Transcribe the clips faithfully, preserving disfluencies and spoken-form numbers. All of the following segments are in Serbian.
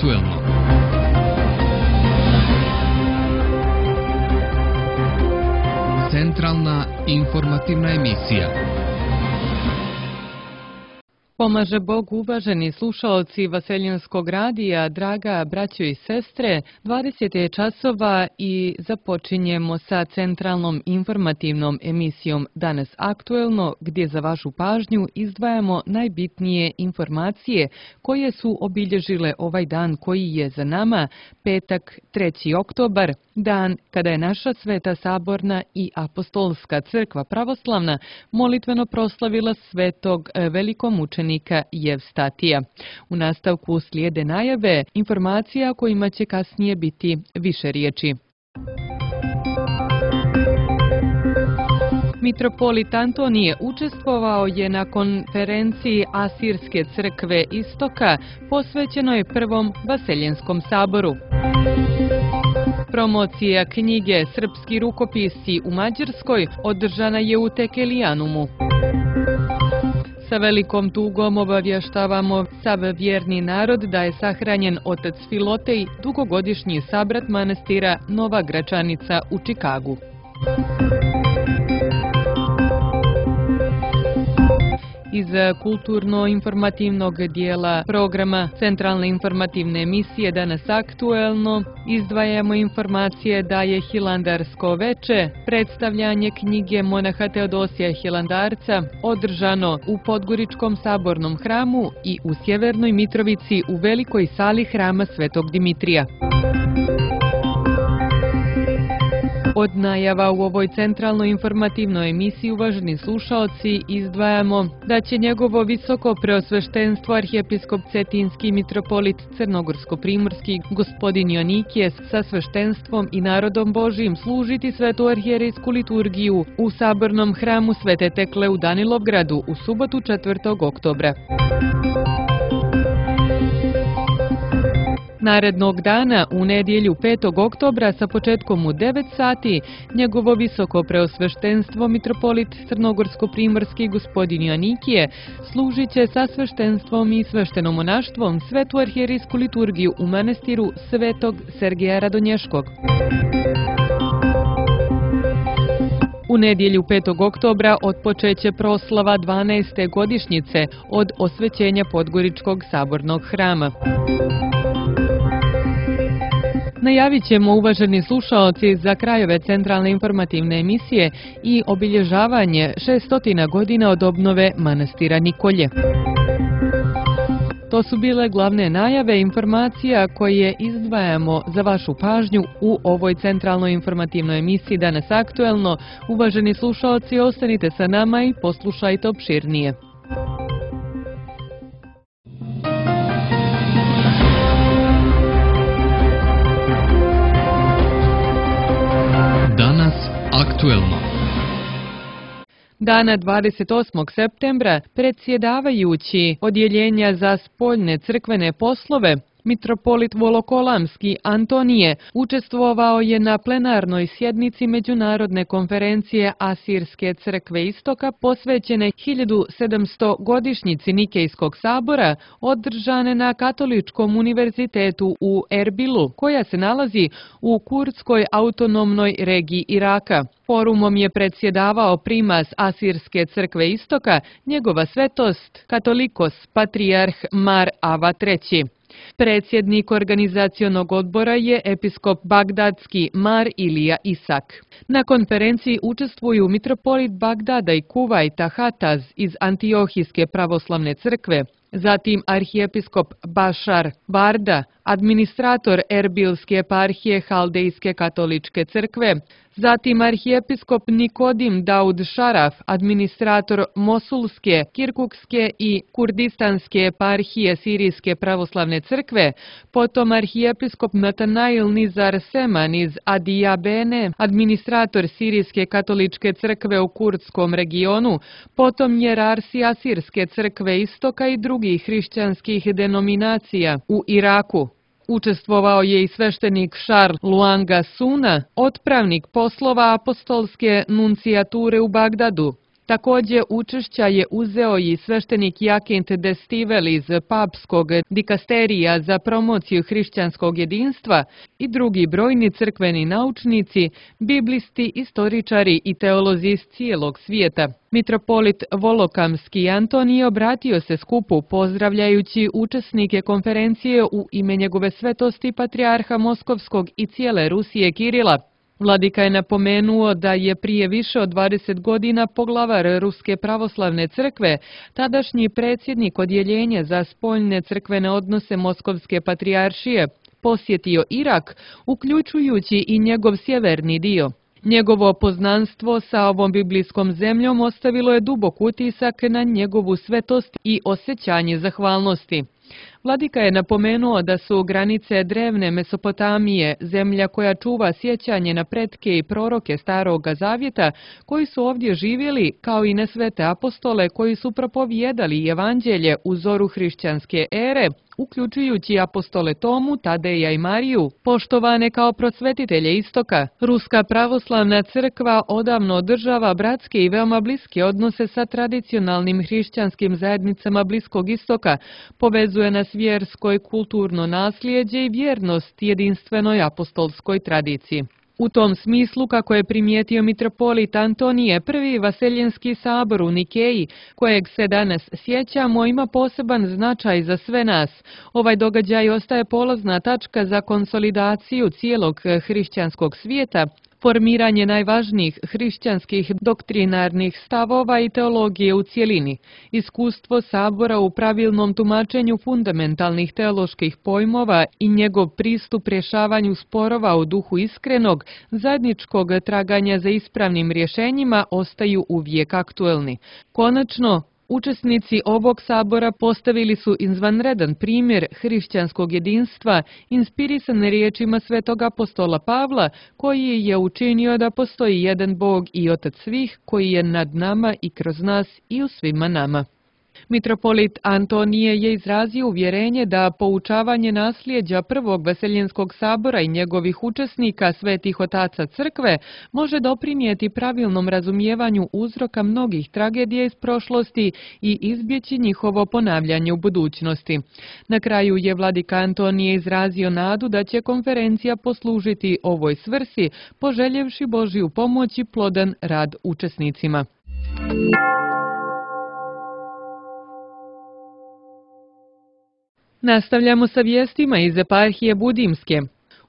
aktuelno. Centralna informativna emisija. Pomaže Bog, uvaženi slušaoci Vaseljenskog radija, draga braćo i sestre, dvadeset je časova i započinjemo sa centralnom informativnom emisijom Danas aktuelno, gdje za vašu pažnju izdvajamo najbitnije informacije koje su obilježile ovaj dan koji je za nama, petak treći oktobar, dan kada je naša Sveta Saborna i Apostolska crkva pravoslavna molitveno proslavila svetog velikomučenika Jevstatija. U nastavku slijede najave informacija kojima će kasnije biti više riječi. Mitropolit Antonije učestvovao je na konferenciji Asirske crkve Istoka posvećenoj Prvom Vaseljenskom saboru. Promocija knjige Srpski rukopisci u Mađarskoj održana je u Tekelijanumu. Sa velikom tugom obavještavamo sav vjerni narod da je sahranjen otac Filotej, dugogodišnji sabrat manastira Nova Gračanica u Čikagu. Iz kulturno-informativnog dijela programa Centralne informativne emisije Danas aktuelno izdvajamo informacije da je Hilandarsko veče, predstavljanje knjige monaha Teodosija Hilandarca, održano u Podgoričkom sabornom hramu i u Sjevernoj Mitrovici u velikoj sali hrama Svetog Dimitrija. Od najava u ovoj centralnoj informativnoj emisiji, uvaženi slušaoci, izdvajamo da će njegovo visoko preosveštenstvo arhijepiskop Cetinski mitropolit Crnogorsko-primorski gospodin Jonikije sa sveštenstvom i narodom Božijim služiti svetu arhijerejsku liturgiju u sabornom hramu Svete Tekle u Danilovgradu u subotu četvrtog oktobra. Narednog dana, u nedjelju petog oktobra sa početkom u devet sati, njegovo visoko preosveštenstvo mitropolit Crnogorsko-primorski gospodin Jonikije služit će sa sveštenstvom i sveštenomonaštvom svetu arhijerejsku liturgiju u manastiru Svetog Sergeja Radonješkog. U nedjelju petog oktobra otpočeće proslava dvanaeste godišnjice od osvećenja Podgoričkog sabornog hrama. Najavit ćemo, uvaženi slušaoci, za krajeve centralne informativne emisije i obilježavanje šeststotina godina od obnove manastira Nikolje. To su bile glavne najave informacija koje izdvajamo za vašu pažnju u ovoj centralnoj informativnoj emisiji Danas aktuelno. Uvaženi slušaoci, ostanite sa nama i poslušajte opširnije. Danas aktuelno. Dana dvadeset osmog septembra predsjedavajući Odjeljenja za spoljne crkvene poslove mitropolit Volokolamski Antonije učestvovao je na plenarnoj sjednici Međunarodne konferencije Asirske crkve Istoka posvećene hiljadu sedamsto godišnjici Nikejskog sabora održane na Katoličkom univerzitetu u Erbilu, koja se nalazi u Kurdskoj autonomnoj regiji Iraka. Forumom je predsjedavao primas Asirske crkve Istoka, njegova svetost katolikos patrijarh Mar Ava treći. Predsjednik organizacionog odbora je episkop bagdadski Mar Ilija Isak. Na konferenciji učestvuju mitropolit Bagdada i Kuvajta Hataz iz Antiohijske pravoslavne crkve, zatim arhijepiskop Bašar Varda, administrator Erbilske eparhije Haldejske katoličke crkve, zatim arhijepiskop Nikodim Daud Šaraf, administrator Mosulske, Kirkukske i Kurdistanske eparhije Sirijske pravoslavne crkve, potom arhijepiskop Natanail Nizar Seman iz Adijabene, administrator Sirijske katoličke crkve u kurdskom regionu, potom jerarsi Asirske crkve Istoka i drugih hrišćanskih denominacija u Iraku. Učestvovao je i sveštenik Šarl Luanga Suna, otpravnik poslova apostolske nuncijature u Bagdadu. Također učešća je uzeo i sveštenik Jakint Destivel iz papskog dikasterija za promociju hrišćanskog jedinstva i drugi brojni crkveni naučnici, biblisti, istoričari i teolozi iz cijelog svijeta. Mitropolit Volokamski Antonije obratio se skupu pozdravljajući učesnike konferencije u ime njegove svetosti patrijarha Moskovskog i cijele Rusije Kirila. Vladika je napomenuo da je prije više od dvadeset godina poglavar Ruske pravoslavne crkve, tadašnji predsjednik odjeljenja za spoljne crkvene odnose Moskovske patrijaršije, posjetio Irak, uključujući i njegov sjeverni dio. Njegovo poznanstvo sa ovom biblijskom zemljom ostavilo je dubok utisak na njegovu svetost i osjećanje zahvalnosti. Vladika je napomenuo da su granice drevne Mesopotamije, zemlja koja čuva sjećanje na pretke i proroke Staroga Zavjeta, koji su ovdje živjeli, kao i na svete apostole koji su propovijedali evanđelje u zoru hrišćanske ere, uključujući apostole Tomu, Tadeja i Mariju, poštovane kao prosvetitelje Istoka. Ruska pravoslavna crkva odavno održava bratske i veoma bliske odnose sa tradicionalnim hrišćanskim zajednicama Bliskog Istoka, povezuje nas vjersko i kulturno nasljeđe i vjernost jedinstvenoj apostolskoj tradiciji. U tom smislu, kako je primijetio mitropolit Antonije, prvi Vaseljenski sabor u Nikeji, kojeg se danas sjećamo, ima poseban značaj za sve nas. Ovaj događaj ostaje polazna tačka za konsolidaciju cijelog hrišćanskog svijeta, formiranje najvažnijih hrišćanskih doktrinarnih stavova i teologije u cjelini, iskustvo sabora u pravilnom tumačenju fundamentalnih teoloških pojmova i njegov pristup rješavanju sporova u duhu iskrenog, zajedničkog traganja za ispravnim rješenjima ostaju uvijek aktuelni. Konačno, učesnici ovog sabora postavili su izvanredan primjer hrišćanskog jedinstva, inspirisan riječima svetog apostola Pavla, koji je učinio da postoji jedan Bog i Otac svih, koji je nad nama i kroz nas i u svima nama. Mitropolit Antonije je izrazio uvjerenje da poučavanje nasljeđa prvog Vaseljenskog sabora i njegovih učesnika, svetih otaca crkve, može doprinijeti pravilnom razumijevanju uzroka mnogih tragedija iz prošlosti i izbjeći njihovo ponavljanje u budućnosti. Na kraju je vladika Antonije izrazio nadu da će konferencija poslužiti ovoj svrsi, poželjevši Božju pomoć i plodan rad učesnicima. Nastavljamo sa vijestima iz eparhije Budimske.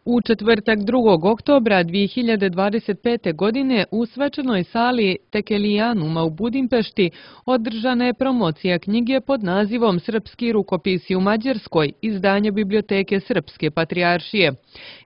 U četvrtak drugog oktobra dvije hiljade dvadeset pete. godine u svečanoj sali Tekelijanuma u Budimpešti održana je promocija knjige pod nazivom Srpski rukopisi u Mađarskoj, izdanje Biblioteke Srpske patrijaršije.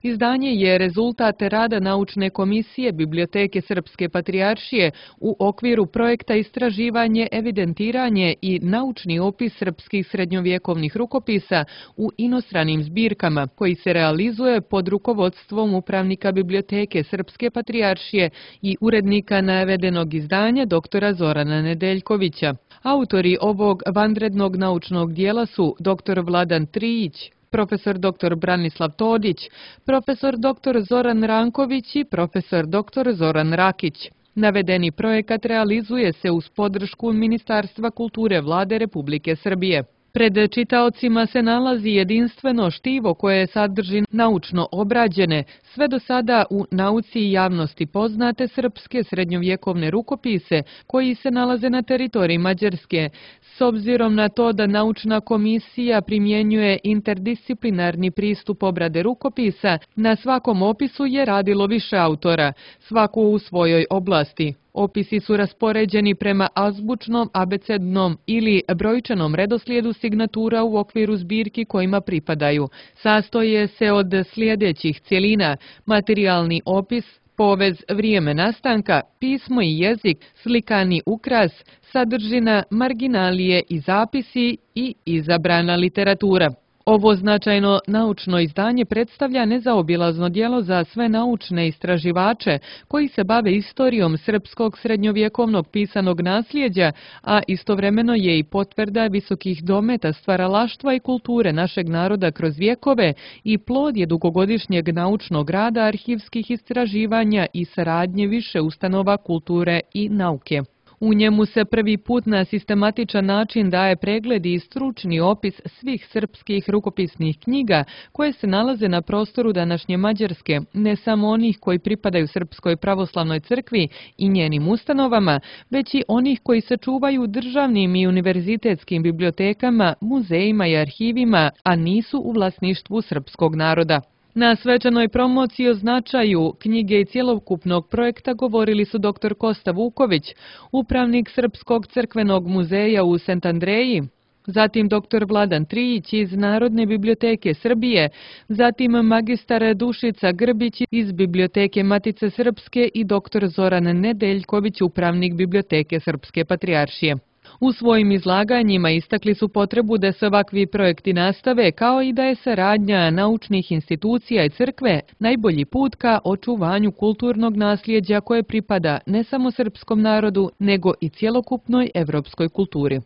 Izdanje je rezultat rada naučne komisije Biblioteke Srpske patrijaršije u okviru projekta Istraživanje, evidentiranje i naučni opis srpskih srednjovjekovnih rukopisa u inostranim zbirkama, koji se realizuje pod rukovodstvom upravnika Biblioteke Srpske patrijaršije i urednika navedenog izdanja doktora Zorana Nedeljkovića. Autori ovog vanrednog naučnog dijela su doktor Vladan Trijić, profesor doktor Branislav Todić, profesor doktor Zoran Ranković i profesor doktor Zoran Rakić. Navedeni projekat realizuje se uz podršku Ministarstva kulture Vlade Republike Srbije. Pred čitaocima se nalazi jedinstveno štivo koje sadrži naučno obrađene, sve do sada u nauci i javnosti poznate srpske srednjovjekovne rukopise koji se nalaze na teritoriji Mađarske. S obzirom na to da naučna komisija primjenjuje interdisciplinarni pristup obrade rukopisa, na svakom opisu je radilo više autora, svako u svojoj oblasti. Opisi su raspoređeni prema azbučnom, abecednom ili brojčanom redoslijedu signatura u okviru zbirki kojima pripadaju. Sastoje se od sljedećih cjelina: materijalni opis, povez vrijeme nastanka, pismo i jezik, slikani ukras, sadržina, marginalije i zapisi i izabrana literatura. Ovo značajno naučno izdanje predstavlja nezaobilazno djelo za sve naučne istraživače koji se bave istorijom srpskog srednjovjekovnog pisanog nasljeđa, a istovremeno je i potvrda visokih dometa stvaralaštva i kulture našeg naroda kroz vjekove i plod je dugogodišnjeg naučnog rada, arhivskih istraživanja i saradnje više ustanova kulture i nauke. U njemu se prvi put na sistematičan način daje pregled i stručni opis svih srpskih rukopisnih knjiga koje se nalaze na prostoru današnje Mađarske, ne samo onih koji pripadaju Srpskoj pravoslavnoj crkvi i njenim ustanovama, već i onih koji se čuvaju u državnim i univerzitetskim bibliotekama, muzejima i arhivima, a nisu u vlasništvu srpskog naroda. Na svečanoj promociji o značaju knjige i cjelokupnog projekta govorili su dr Kosta Vuković, upravnik Srpskog crkvenog muzeja u Sant Andreji, zatim dr Vladan Trijić iz Narodne biblioteke Srbije, zatim magistar Dušica Grbić iz Biblioteke Matice Srpske i dr Zoran Nedeljković, upravnik Biblioteke Srpske patrijaršije. U svojim izlaganjima istakli su potrebu da se ovakvi projekti nastave, kao i da je saradnja naučnih institucija i crkve najbolji put ka očuvanju kulturnog nasljeđa koje pripada ne samo srpskom narodu, nego i cjelokupnoj evropskoj kulturi.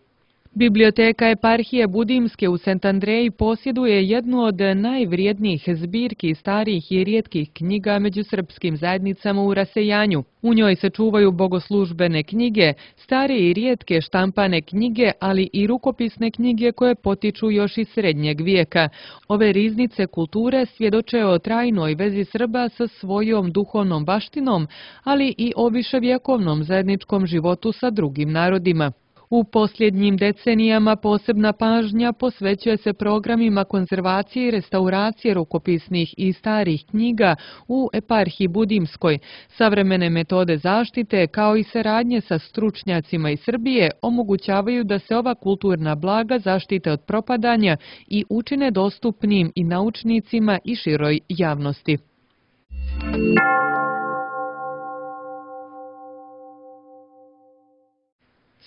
Biblioteka eparhije Budimske u Sant Andreji posjeduje jednu od najvrijednijih zbirki starijih i rijetkih knjiga među srpskim zajednicama u rasejanju. U njoj se čuvaju bogoslužbene knjige, starije i rijetke štampane knjige, ali i rukopisne knjige koje potiču još iz srednjeg vijeka. Ove riznice kulture svjedoče o trajnoj vezi Srba sa svojom duhovnom baštinom, ali i o viševjekovnom zajedničkom životu sa drugim narodima. U posljednjim decenijama posebna pažnja posvećuje se programima konzervacije i restauracije rukopisnih i starih knjiga u eparhiji Budimskoj. Savremene metode zaštite, kao i saradnje sa stručnjacima iz Srbije, omogućavaju da se ova kulturna blaga zaštite od propadanja i učine dostupnim i naučnicima i široj javnosti.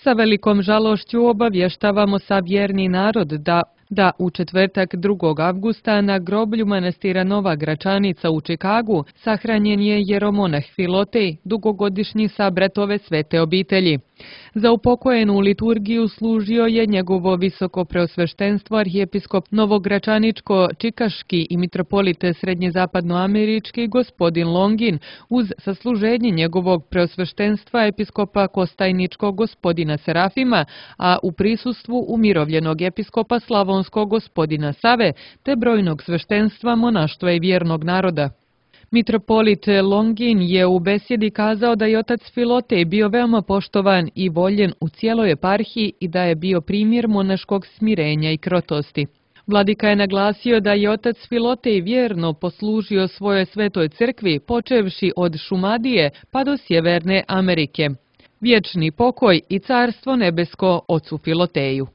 Sa velikom žalošću obavještavamo savjerni narod da da u četvrtak drugog avgusta na groblju manastira Nova Gračanica u Čikagu sahranjen je jeromonah Filotej, dugogodišnji sabrat ove svete obitelji. Za upokojenu liturgiju služio je njegovo visoko preosveštenstvo arhijepiskop Novogračaničko-Čikaški i mitropolit srednjezapadnoamerički gospodin Longin uz sasluženje njegovog preosveštenstva episkopa Kostajničkog gospodina Serafima, a u prisustvu umirovljenog episkopa Slavonskog gospodina Save te brojnog sveštenstva, monaštva i vjernog naroda. Mitropolit Longin je u besjedi kazao da je otac Filotej bio veoma poštovan i voljen u cijeloj eparhiji i da je bio primjer monaškog smirenja i krotosti. Vladika je naglasio da je otac Filotej vjerno poslužio svojoj svetoj crkvi, počevši od Šumadije pa do Sjeverne Amerike. Vječni pokoj i carstvo nebesko ocu Filoteju.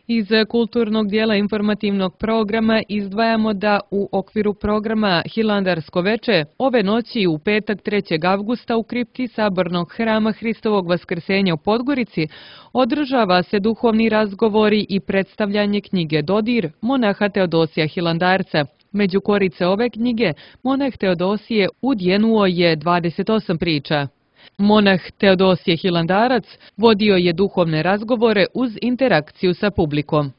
Iz kulturnog dijela informativnog programa izdvajamo da u okviru programa Hilandarsko veče ove noći u petak trećeg avgusta u kripti Sabornog hrama Hristovog vaskrsenja u Podgorici održava se duhovni razgovori i predstavljanje knjige Dodir monaha Teodosija Hilandarca. Među korice ove knjige monah Teodosije udjenuo je dvadeset osam priča. Monah Teodosije Hilandarac vodio je duhovne razgovore uz interakciju sa publikom.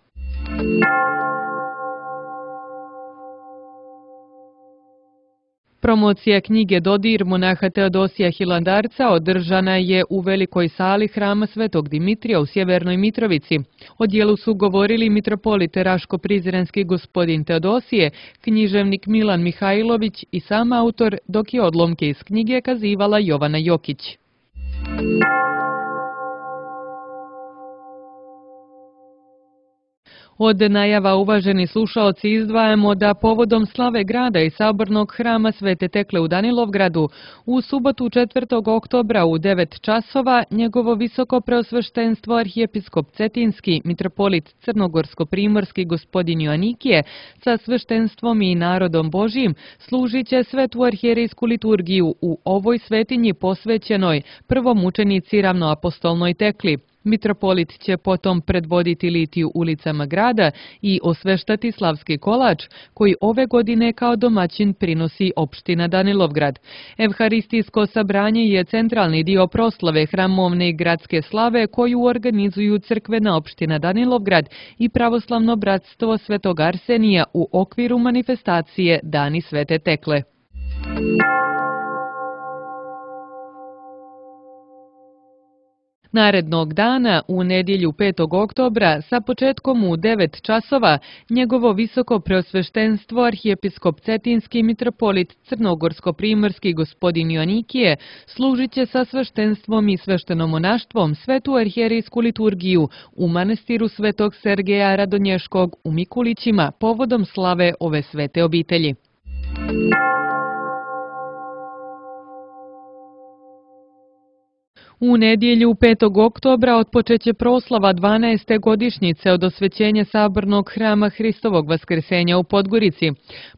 Promocija knjige Dodir monaha Teodosija Hilandarca održana je u velikoj sali hrama Svetog Dimitrija u Sjevernoj Mitrovici. O dijelu su govorili mitropolit Raško-Prizrenski gospodin Teodosije, književnik Milan Mihajlović i sam autor, dok je odlomke iz knjige kazivala Jovana Jokić. Od najava, uvaženi slušaoci, izdvajamo da povodom slave grada i Sabornog hrama Svete Tekle u Danilovgradu u subotu četvrtog oktobra u devet časova njegovo visoko preosveštenstvo arhijepiskop Cetinski, mitropolit Crnogorsko-primorski gospodin Joanikije sa sveštenstvom i narodom Božijim služit će svetu arhijerijsku liturgiju u ovoj svetinji posvećenoj prvomučenici ravnoapostolnoj Tekli. Mitropolit će potom predvoditi litiju ulicama grada i osveštati slavski kolač, koji ove godine kao domaćin prinosi opština Danilovgrad. Evharistijsko sabranje je centralni dio proslave hramovne i gradske slave koju organizuju crkvena opština Danilovgrad i pravoslavno bratstvo Svetog Arsenija u okviru manifestacije Dani Svete Tekle. Narednog dana, u nedjelju petog oktobra, sa početkom u devet časova, njegovo visoko preosveštenstvo arhijepiskop Cetinski mitropolit Crnogorsko-primorski gospodin Joanikije služit će sa sveštenstvom i sveštenomonaštvom svetu arhijerijsku liturgiju u manastiru Svetog Sergeja Radonješkog u Mikulićima povodom slave ove svete obitelji. U nedjelju petog oktobra otpočeće proslava dvanaeste godišnjice od osvećenja sabornog hrama Hristovog vaskrsenja u Podgorici.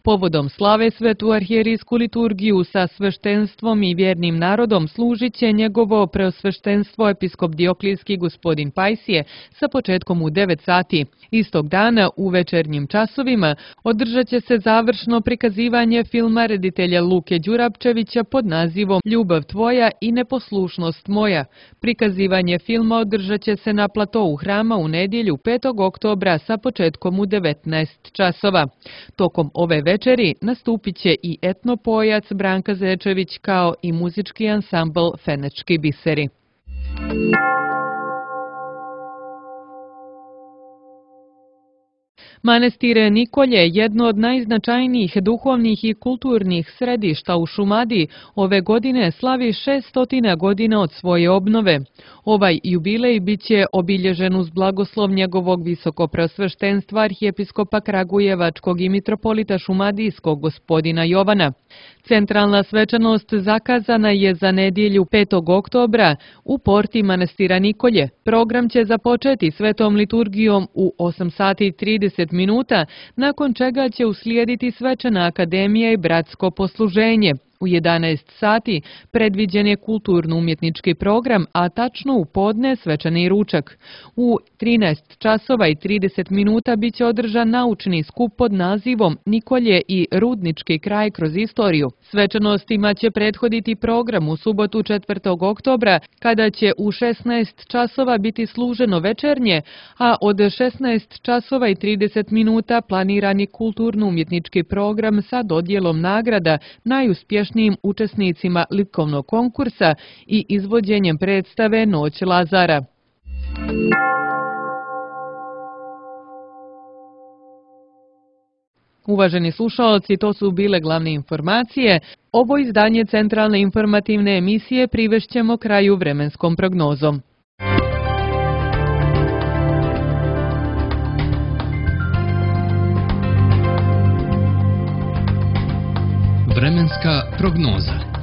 Povodom slave svetu arhijerijsku liturgiju sa sveštenstvom i vjernim narodom služit će njegovo preosveštenstvo episkop Dioklijski gospodin Pajsije sa početkom u devet sati. Istog dana u večernjim časovima održat će se završno prikazivanje filma reditelja Luke Đurapčevića pod nazivom Ljubav tvoja i neposlušnost moja. Prikazivanje filma održat će se na platou hrama u nedjelju petog oktobra sa početkom u devetnaest časova. Tokom ove večeri nastupit će i etnopojac Branka Zečević kao i muzički ansambl Fenečki biseri. Manastir Nikolje, jedno od najznačajnijih duhovnih i kulturnih središta u Šumadiji, ove godine slavi šeststotina godina od svoje obnove. Ovaj jubilej bit će obilježen uz blagoslov njegovog visokopreosveštenstva arhijepiskopa Kragujevačkog i mitropolita Šumadijskog gospodina Jovana. Centralna svečanost zakazana je za nedjelju petog oktobra u porti manastira Nikolje. Program će započeti svetom liturgijom u osam sati i trideset minuta, nakon čega će uslijediti svečana akademija i bratsko posluženje. U jedanaest sati predviđen je kulturno-umjetnički program, a tačno u podne svečani ručak. U trinaest časova i trideset minuta bit će održan naučni skup pod nazivom Nikolje i Rudnički kraj kroz istoriju. Svečanostima će prethoditi program u subotu četvrtog oktobra, kada će u šesnaest časova biti služeno večernje, a od šesnaest časova i trideset minuta planirani kulturno-umjetnički program sa dodjelom nagrada najuspješnijim učesnicima likovnog konkursa i izvođenjem predstave Noć Lazara. Uvaženi slušaoci, to su bile glavne informacije. Ovo izdanje centralne informativne emisije privešćemo kraju vremenskom prognozom. Vremenska prognoza.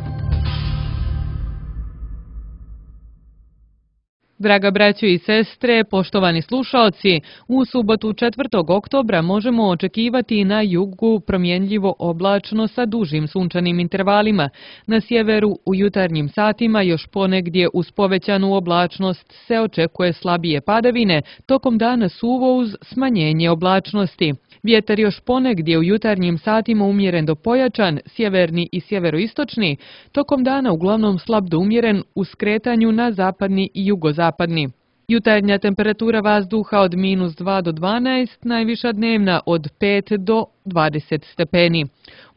Draga braćo i sestre, poštovani slušaoci, u subotu četvrtog oktobra možemo očekivati na jugu promjenljivo oblačno sa dužim sunčanim intervalima. Na sjeveru u jutarnjim satima još ponegdje uz povećanu oblačnost se očekuje slabije padavine, tokom dana suvo uz smanjenje oblačnosti. Vjetar još ponegdje u jutarnjim satima umjeren do pojačan, sjeverni i sjeveroistočni, tokom dana uglavnom slab do umjeren u skretanju na zapadni i jugozapadni. Jutarnja temperatura vazduha od minus dva do dvanaest, najviša dnevna od pet do dvadeset stepeni.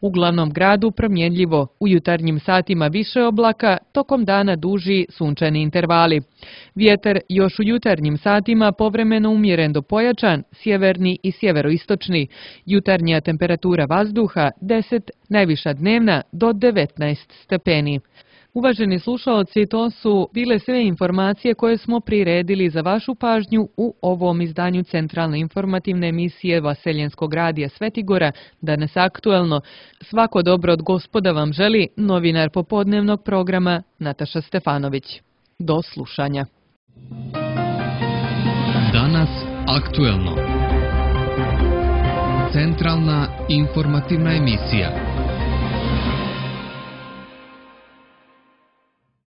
U glavnom gradu promjenljivo, u jutarnjim satima više oblaka, tokom dana duži sunčani intervali. Vjetar još u jutarnjim satima povremeno umjeren do pojačan, sjeverni i sjeveroistočni. Jutarnja temperatura vazduha deset, najviša dnevna do devetnaest stepeni. Uvaženi slušaoci, to su bile sve informacije koje smo priredili za vašu pažnju u ovom izdanju centralne informativne emisije Vaseljenskog radija Svetigora, danas aktuelno. Svako dobro od Gospoda vam želi novinar popodnevnog programa Nataša Stefanović. Do slušanja. Danas aktuelno. Centralna informativna emisija.